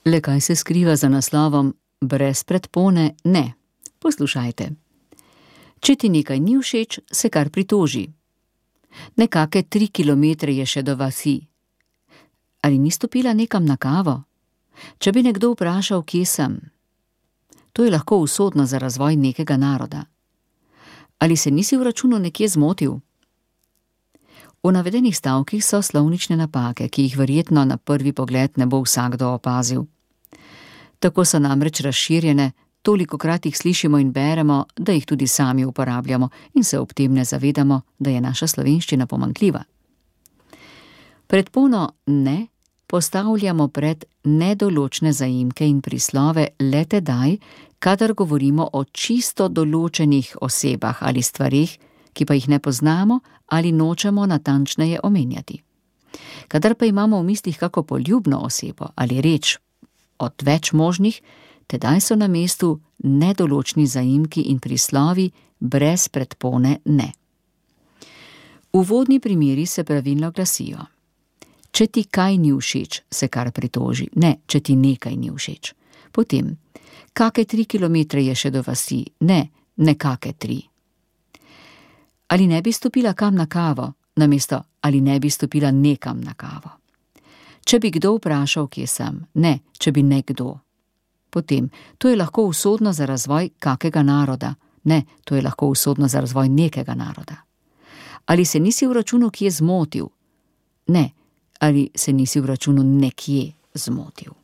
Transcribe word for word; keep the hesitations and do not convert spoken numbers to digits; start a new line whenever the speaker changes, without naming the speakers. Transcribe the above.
Le kaj se skriva za naslovom Brez predpone ne? Poslušajte. Če ti nekaj ni všeč, se kar pritoži. Nekake tri kilometre je še do vasi. Ali ni stopila nekam na kavo? Če bi nekdo vprašal, kje sem? To je lahko usodno za razvoj nekega naroda. Ali se nisi v računu nekje zmotil? V navedenih stavkih so slovnične napake, ki jih verjetno na prvi pogled ne bo vsakdo opazil. Tako so namreč razširjene, tolikokrat jih slišimo in beremo, da jih tudi sami uporabljamo in se ob tem ne zavedamo, da je naša slovenščina pomanjkljiva. Predpono ne postavljamo pred nedoločne zaimke in prislove le tedaj, kadar govorimo o čisto določenih osebah ali stvareh, ki pa jih ne poznamo ali nočemo natančneje omenjati. Kadar pa imamo v mislih kako poljubno osebo ali reč od več možnih, tedaj so na mestu nedoločni zaimki in prislovi brez predpone ne. Uvodni primeri se pravilno glasijo. Če ti kaj ni všeč, se kar pritoži, ne, če ti nekaj ni všeč. Potem, kake tri kilometre je še do vasi, ne, nekake tri. Ali ne bi stopila kam na kavo, namesto ali ne bi stopila nekam na kavo. Če bi kdo vprašal, kje sem, ne, če bi nekdo. Potem, to je lahko usodno za razvoj kakega naroda, ne, to je lahko usodno za razvoj nekega naroda. Ali se nisi v računu kje zmotil? Ne, ali se nisi v računu nekje zmotil.